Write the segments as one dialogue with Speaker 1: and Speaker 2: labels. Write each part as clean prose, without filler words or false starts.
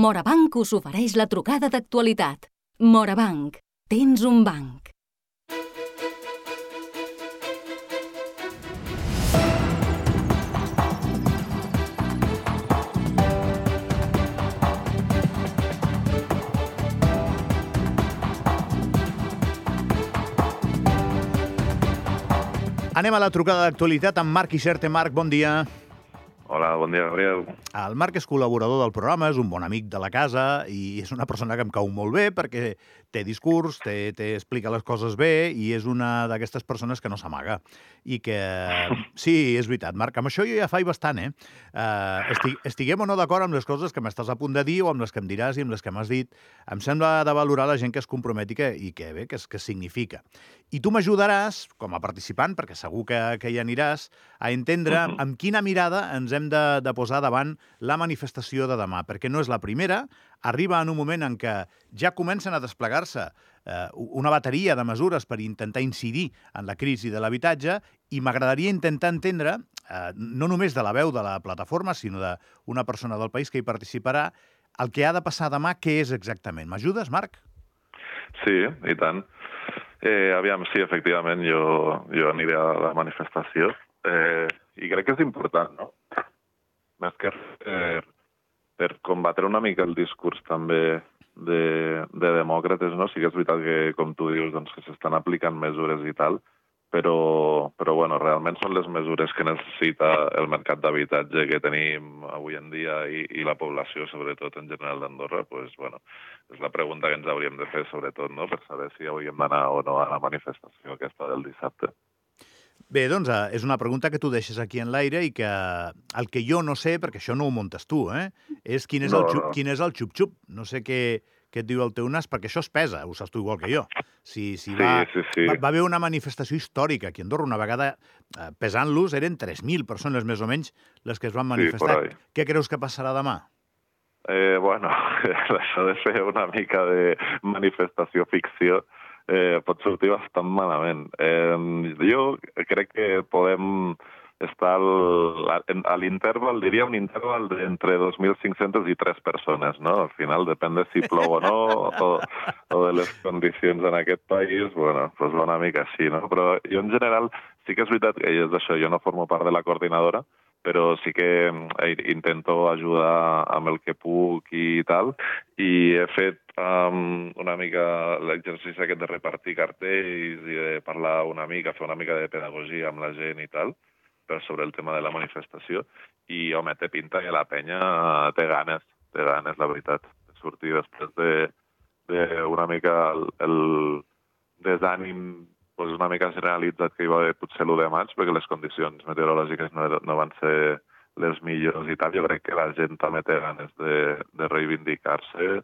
Speaker 1: Morabanc us ofereix la trucada d'actualitat. Morabanc, tens un banc.
Speaker 2: Anem a la trucada d'actualitat amb Marc Ixerte. Marc, bon dia.
Speaker 3: Hola, bon dia, Gabriel.
Speaker 2: El Marc és col·laborador del programa, és un bon amic de la casa i és una persona que em cau molt bé perquè té discurs, explica les coses bé i és una d'aquestes persones que no s'amaga. I que... Sí, és veritat, Marc, amb això jo ja faig bastant, estiguem o no d'acord amb les coses que m'estàs a punt de dir o amb les que em diràs i amb les que m'has dit. Em sembla de valorar la gent que es comprometi i que bé, que significa. I tu m'ajudaràs, com a participant, perquè segur que hi aniràs, a entendre amb quina mirada ens hem de posar davant la manifestació de demà, perquè no és la primera, arriba en un moment en què ja comencen a desplegar-se una bateria de mesures per intentar incidir en la crisi de l'habitatge i m'agradaria intentar entendre, no només de la veu de la plataforma, sinó d'una persona del país que hi participarà, el que ha de passar demà, què és exactament. M'ajudes, Marc?
Speaker 3: Sí, i tant. Aviam, sí, efectivament, jo aniré a la manifestació i crec que és important, no? Més que per combatre una mica el discurs també de demòcrates, no? Sí que és veritat que, com tu dius, doncs, que s'estan aplicant mesures i tal, però bueno, realment són les mesures que necessita el mercat d'habitatge que tenim avui en dia i la població, sobretot en general d'Andorra, doncs, bueno, és la pregunta que ens hauríem de fer, sobretot, no?, per saber si hauríem d'anar o no a la manifestació aquesta del dissabte.
Speaker 2: Bé, doncs és una pregunta que tu deixes aquí en l'aire i que el que jo no sé, perquè això no ho muntes tu, és quin és el xup-xup. No sé què et diu el teu nas, perquè això es pesa, ho saps tu igual que jo. Sí. Va haver una manifestació històrica aquí a Andorra, una vegada pesant-los, eren 3.000 persones més o menys les que es van manifestar.
Speaker 3: Sí,
Speaker 2: què creus que passarà demà?
Speaker 3: Bueno, això de fer una mica de manifestació ficció pot sortir bastant malament. Jo crec que podem estar a l'interval, diria un interval d'entre 2.500 i 3 persones, no? Al final, depèn de si plou o no, o de les condicions en aquest país, bueno, doncs va una mica així, no? Però jo, en general, sí que és veritat que és això, jo no formo part de la coordinadora, però sí que intento ajudar amb el que puc i tal, i he fet una mica l'exercici aquest de repartir cartells i de parlar una mica, fer una mica de pedagogia amb la gent i tal, sobre el tema de la manifestació, i, home, té pinta que la penya té ganes, la veritat, de sortir després d'una mica el desànim una mica generalitzat que hi va haver potser l'1 de maig, perquè les condicions meteorològiques no van ser les millors i tal. Jo crec que la gent també té ganes de reivindicar-se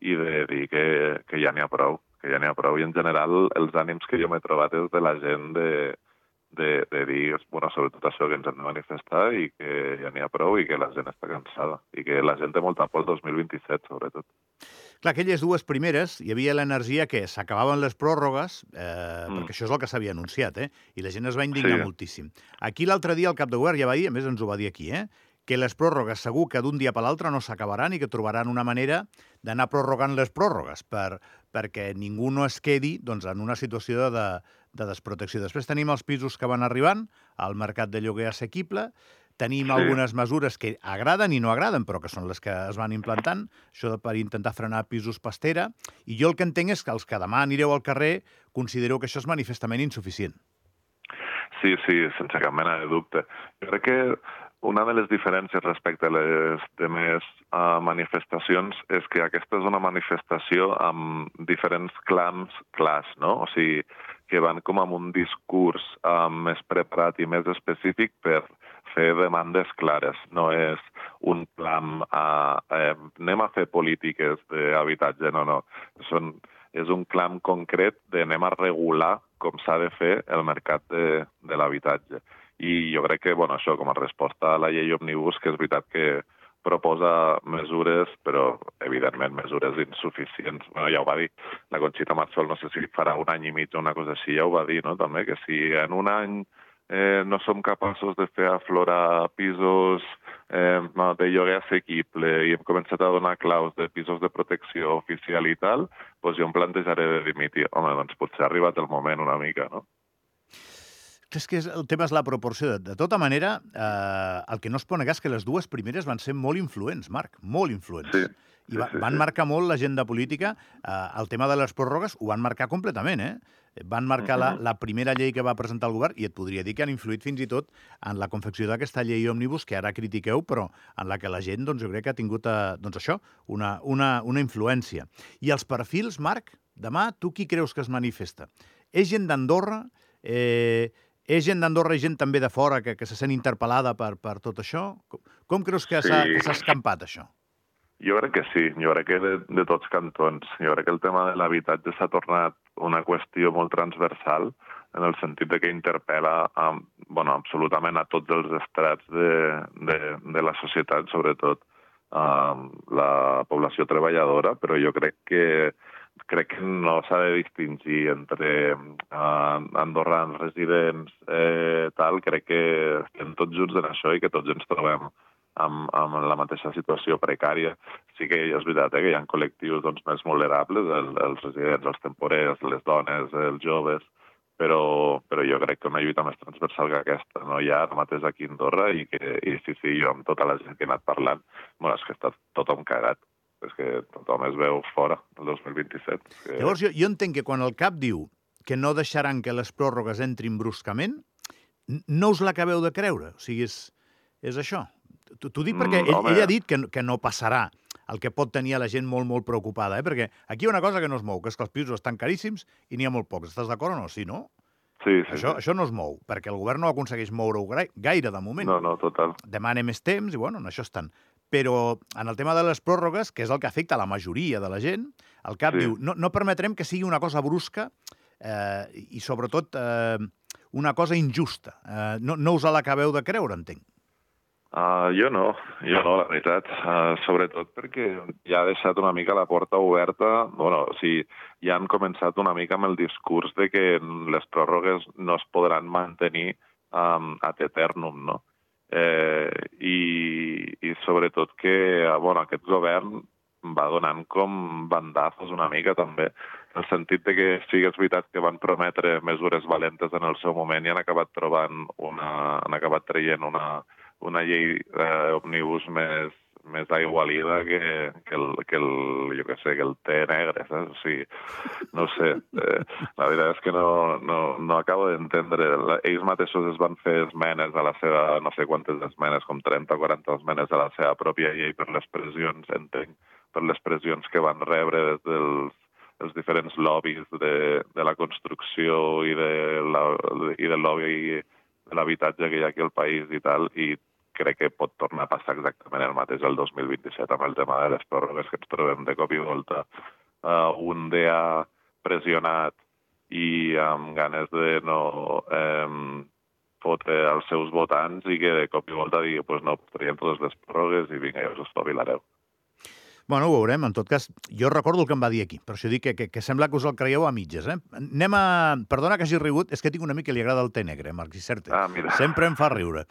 Speaker 3: i de dir que ja n'hi ha prou, I en general els ànims que jo m'he trobat és de la gent de dir, bueno, sobretot això, que ens hem de manifestar i que ja n'hi ha prou i que la gent està cansada i que la gent té molta por el 2027, sobretot.
Speaker 2: Clar, aquelles dues primeres, hi havia l'energia que s'acabaven les pròrrogues, perquè això és el que s'havia anunciat, i la gent es va indignar moltíssim. Aquí l'altre dia el cap de govern ja va dir, a més ens ho va dir aquí, que les pròrrogues segur que d'un dia per l'altre no s'acabaran i que trobaran una manera d'anar prorrogant les pròrrogues perquè ningú no es quedi en una situació de desprotecció. Després tenim els pisos que van arribant al mercat de lloguer assequible, tenim algunes mesures que agraden i no agraden, però que són les que es van implantant, això per intentar frenar pisos pastera, i jo el que entenc és que els que demà anireu al carrer considereu que això és manifestament insuficient.
Speaker 3: Sí, sense cap mena de dubte. Jo crec que una de les diferències respecte a les demés manifestacions és que aquesta és una manifestació amb diferents clams clars, no? O sigui, que van com amb un discurs més preparat i més específic per fer demandes clares. No és un clam anem a fer polítiques d'habitatge, no. És un clam concret d'anem a regular com s'ha de fer el mercat de l'habitatge. I jo crec que, bueno, això com a resposta a la llei Òmnibus, que és veritat que proposa mesures, però, evidentment, mesures insuficients. Bueno, ja ho va dir la Conxita Marçol, no sé si farà 1 any i mig o una cosa així, ja ho va dir, no?, també, que si en 1 any no som capaços de fer aflorar pisos de lloguer assequible i hem començat a donar claus de pisos de protecció oficial i tal, doncs jo em plantejaré de dimitir. Home, doncs potser ha arribat el moment una mica, no?
Speaker 2: És que el tema és la proporció. De tota manera, el que no es pot negar és que les dues primeres van ser molt influents, Marc, molt influents.
Speaker 3: Sí.
Speaker 2: I van marcar molt l'agenda política. El tema de les pròrrogues ho van marcar completament, Van marcar la primera llei que va presentar el govern i et podria dir que han influït fins i tot en la confecció d'aquesta llei òmnibus que ara critiqueu, però en la que la gent, doncs, jo crec que ha tingut, doncs això, una influència. I els perfils, Marc, demà, tu qui creus que es manifesta? És gent d'Andorra? És gent d'Andorra i gent també de fora que se sent interpel·lada per tot això? Com creus que s'ha escampat, això?
Speaker 3: Jo crec que sí, jo crec que de tots cantons. Jo crec que el tema de l'habitatge s'ha tornat una qüestió molt transversal en el sentit de que interpel·la absolutament a tots els estrats de la societat, sobretot la població treballadora, però jo crec que no s'ha de distingir entre andorrans, residents, tal. Crec que estem tots junts en això i que tots ens trobem amb la mateixa situació precària. Sí que és veritat que hi ha col·lectius més vulnerables, els residents, els temporers, les dones, els joves, però jo crec que una lluita més transversal que aquesta no hi ha ara mateix aquí a Andorra i sí, jo amb tota la gent que he anat parlant, és que està tothom cagat. És que tothom es veu fora el 2027.
Speaker 2: Llavors, jo entenc que quan el CAP diu que no deixaran que les pròrrogues entrin bruscament, no us l'acabeu de creure. O sigui, és això. T'ho dic perquè ell ha dit que no passarà, el que pot tenir la gent molt, molt preocupada, perquè aquí hi ha una cosa que no es mou, que és que els pisos estan caríssims i n'hi ha molt pocs. Estàs d'acord o no? Sí, no?
Speaker 3: Sí.
Speaker 2: Això no es mou, perquè el govern no aconsegueix moure-ho gaire de moment.
Speaker 3: No, total.
Speaker 2: Demana més temps i, en això estan. Però en el tema de les pròrrogues, que és el que afecta la majoria de la gent, el CAP diu no permetrem que sigui una cosa brusca i, sobretot, una cosa injusta. No us l'acabeu de creure, entenc.
Speaker 3: Jo no, la veritat. Sobretot perquè ja ha deixat una mica la porta oberta. Ja han començat una mica amb el discurs de que les pròrrogues no es podran mantenir ad eternum, no? I sobretot que aquest govern va donant com bandazos una mica també, en el sentit de que sí que és veritat que van prometre mesures valentes en el seu moment i han acabat traient una llei òmnibus més aigualida que el té negre, saps? O sigui, no sé, la veritat és que no acabo d'entendre. Ells mateixos es van fer esmenes a la seva, no sé quantes esmenes, com 30 o 40 esmenes a la seva pròpia llei per les pressions, entenc, per les pressions que van rebre des dels diferents lobbies de la construcció i del lobby de l'habitatge que hi ha aquí al país i tal, i crec que pot tornar a passar exactament el mateix el 2027 amb el tema de les pròrrogues, que ens trobem de cop i volta un DA pressionat i amb ganes de no fotre els seus votants i que de cop i volta digui no, traiem totes les pròrrogues i vinga, ja us espavilareu.
Speaker 2: Ho veurem. En tot cas, jo recordo el que em va dir aquí, per això dic que sembla que us el creieu a mitges. Perdona que hagi rigut, és que tinc un amic que li agrada el té negre, Marc Siserte.
Speaker 3: Mira.
Speaker 2: Sempre em fa riure.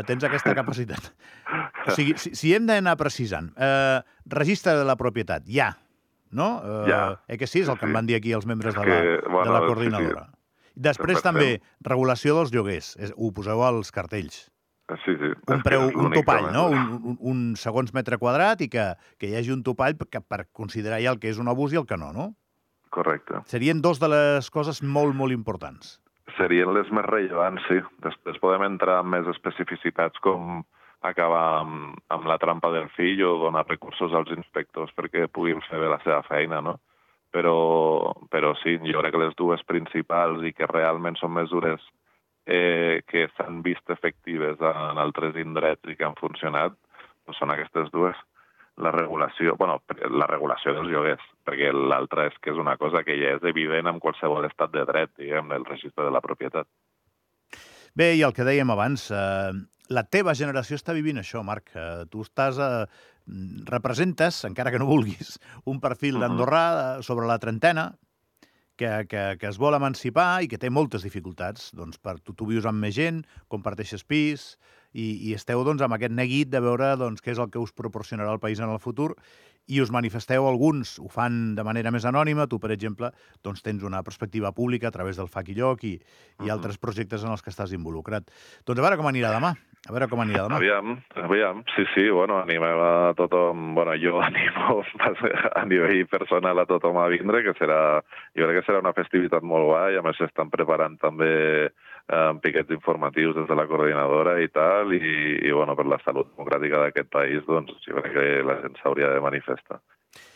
Speaker 2: Tens aquesta capacitat. O sigui, si hem d'anar precisant, registre de la propietat, no? Que sí, és el que em van dir aquí els membres de la coordinadora. Sí. Després també, regulació dels lloguers. Ho poseu als cartells.
Speaker 3: Sí.
Speaker 2: Un topall, no? Un segons metre quadrat i que hi hagi un topall per considerar ja el que és un abús i el que no?
Speaker 3: Correcte.
Speaker 2: Serien dos de les coses molt, molt importants.
Speaker 3: Serien les més rellevants, sí. Després podem entrar en més especificitats com acabar amb la trampa del fill o donar recursos als inspectors perquè puguin fer bé la seva feina, no? Però sí, jo crec que les dues principals i que realment són mesures que s'han vist efectives en altres indrets i que han funcionat, són aquestes dues. La regulació dels lloguers, perquè l'altra és que és una cosa que ja és evident en qualsevol estat de dret, diguem, el registre de la propietat.
Speaker 2: Bé, i el que dèiem abans, la teva generació està vivint això, Marc. Tu representes, encara que no vulguis, un perfil d'andorrà sobre la trentena, que es vol emancipar i que té moltes dificultats. Doncs tu vius amb més gent, comparteixes pis i esteu doncs, amb aquest neguit de veure doncs, què és el que us proporcionarà el país en el futur i us manifesteu alguns, ho fan de manera més anònima, tu, per exemple, doncs tens una perspectiva pública a través del Fac i Lloc i altres projectes en els que estàs involucrat. Doncs a veure com anirà demà.
Speaker 3: Aviam. Sí, bueno, animem a tothom, bueno, jo animo a nivell personal a tothom a vindre, que serà, jo crec que serà una festivitat molt guai, a més s'estan preparant també piquets informatius des de la coordinadora i tal, i bueno, per la salut democràtica d'aquest país, doncs jo crec que la gent s'hauria de manifestar.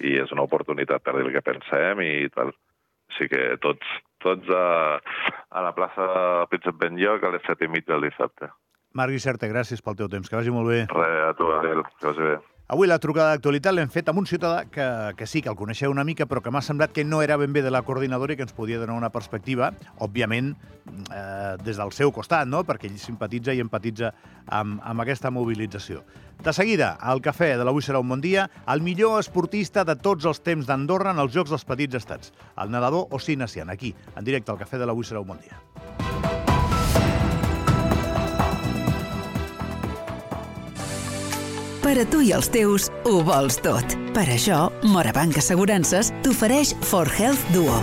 Speaker 3: I és una oportunitat per dir el que pensem i tal. Així que tots a la plaça Príncep Benlloc a les 7:30 del dissabte.
Speaker 2: Marc Guixerta, gràcies pel teu temps. Que vagi molt bé.
Speaker 3: Res, a tu, Adel. Que vagi bé.
Speaker 2: Avui la trucada d'actualitat l'hem fet amb un ciutadà que sí, que el coneixeu una mica, però que m'ha semblat que no era ben bé de la coordinadora i que ens podia donar una perspectiva, òbviament, des del seu costat, no? Perquè ell simpatitza i empatitza amb aquesta mobilització. De seguida, al cafè de l'Avui serà un bon dia, el millor esportista de tots els temps d'Andorra en els Jocs dels Petits Estats, el nedador Ossi Nacian, aquí, en directe al cafè de l'Avui serà un bon dia.
Speaker 4: Per a tu i els teus, ho vols tot. Per això, Morabanc Assegurances t'ofereix For Health Duo,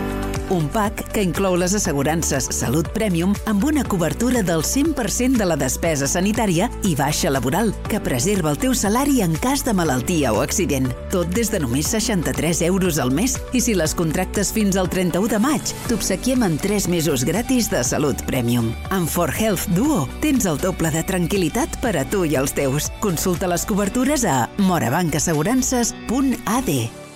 Speaker 4: un pack que inclou les assegurances Salut Premium amb una cobertura del 100% de la despesa sanitària i baixa laboral, que preserva el teu salari en cas de malaltia o accident. Tot des de només 63 euros al mes, i si les contractes fins al 31 de maig, t'obsequiem amb 3 mesos gratis de Salut Premium. Amb For Health Duo tens el doble de tranquil·litat per a tu i els teus. Consulta les cobertures a morabancassegurances.ad.